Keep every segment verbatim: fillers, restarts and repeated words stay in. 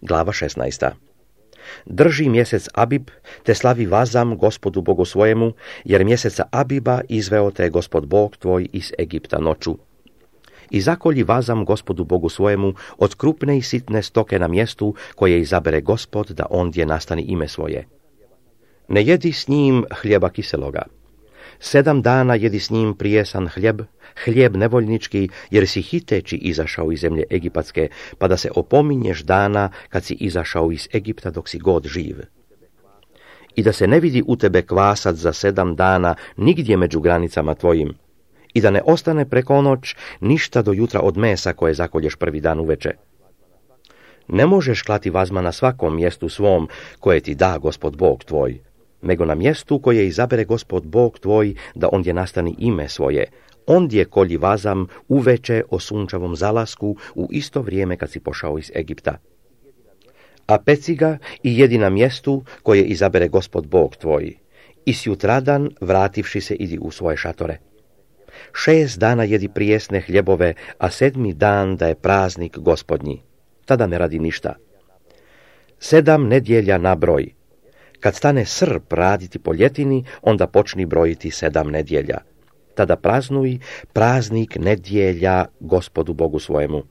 glava šesnaesta. Drži mjesec Abib, te slavi vazam Gospodu Bogu svojemu, jer mjeseca Abiba izveo te Gospod Bog tvoj iz Egipta noću. I zakolji vazam Gospodu Bogu svojemu od krupne i sitne stoke na mjestu koje izabere Gospod da ondje nastani ime svoje. Ne jedi s njim hljeba kiseloga. Sedam dana jedi s njim prijesan hljeb, hljeb nevoljnički, jer si hiteći izašao iz zemlje Egipatske, pa da se opominješ dana kad si izašao iz Egipta dok si god živ. I da se ne vidi u tebe kvasac za sedam dana nigdje među granicama tvojim, i da ne ostane preko noć ništa do jutra od mesa koje zakolješ prvi dan uveče. Ne možeš klati vazma na svakom mjestu svom koje ti da Gospod Bog tvoj, nego na mjestu koje izabere Gospod Bog tvoj da ondje nastani ime svoje. Ondje kolji vazam uveče o sunčevom zalasku u isto vrijeme kad si pošao iz Egipta. A peci ga i jedi na mjestu koje izabere Gospod Bog tvoj. I sjutradan, vrativši se, idi u svoje šatore. Šest dana jedi prijesne hljebove, a sedmi dan da je praznik Gospodnji. Tada ne radi ništa. Sedam nedjelja na broj. Kad stane srp raditi po ljetini, onda počni brojiti sedam nedjelja. Tada praznuj praznik nedjelja Gospodu Bogu svojemu.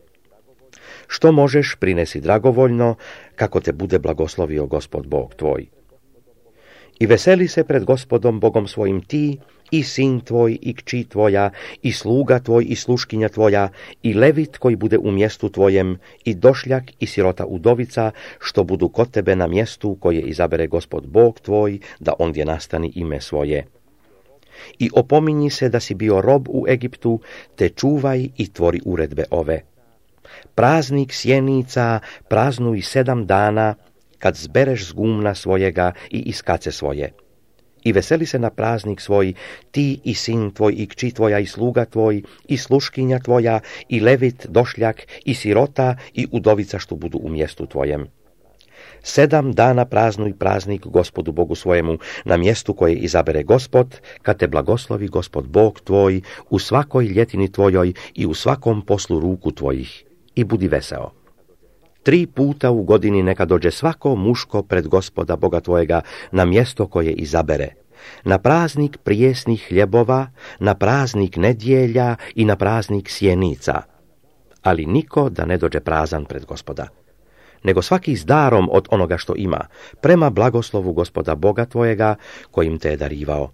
Što možeš, prinesi dragovoljno, kako te bude blagoslovio Gospod Bog tvoj. I veseli se pred Gospodom Bogom svojim ti, i sin tvoj, i kći tvoja, i sluga tvoj, i sluškinja tvoja, i levit koji bude u mjestu tvojem, i došljak, i sirota udovica, što budu kod tebe na mjestu koje izabere Gospod Bog tvoj, da ondje nastani ime svoje. I opominji se da si bio rob u Egiptu, te čuvaj i tvori uredbe ove. Praznik sjenica praznuj sedam dana, kad zbereš z gumna svojega i iz kace svoje. I veseli se na praznik svoj, ti i sin tvoj, i kći tvoja, i sluga tvoj, i sluškinja tvoja, i levit, došljak, i sirota, i udovica što budu u mjestu tvojem. Sedam dana praznuj praznik Gospodu Bogu svojemu na mjestu koje izabere Gospod, kad te blagoslovi Gospod Bog tvoj u svakoj ljetini tvojoj i u svakom poslu ruku tvojih. I budi veseo. Tri puta u godini neka dođe svako muško pred Gospoda Boga tvojega na mjesto koje izabere, na praznik prijesnih hljebova, na praznik nedjelja i na praznik sjenica, ali niko da ne dođe prazan pred Gospoda, nego svaki s darom od onoga što ima, prema blagoslovu Gospoda Boga tvojega kojim te je darivao.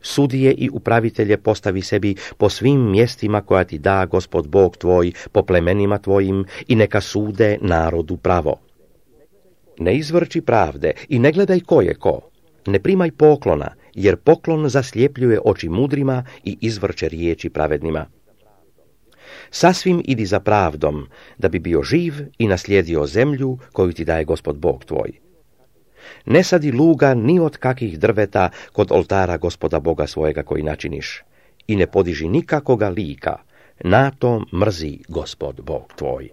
Sudije i upravitelje postavi sebi po svim mjestima koja ti da Gospod Bog tvoj, po plemenima tvojim, i neka sude narodu pravo. Ne izvrči pravde i ne gledaj ko je ko. Ne primaj poklona, jer poklon zaslijepljuje oči mudrima i izvrće riječi pravednima. Sasvim idi za pravdom, da bi bio živ i naslijedio zemlju koju ti daje Gospod Bog tvoj. Ne sadi luga ni od kakih drveta kod oltara Gospoda Boga svojega koji načiniš, i ne podiži nikakoga lika, na to mrzi Gospod Bog tvoj.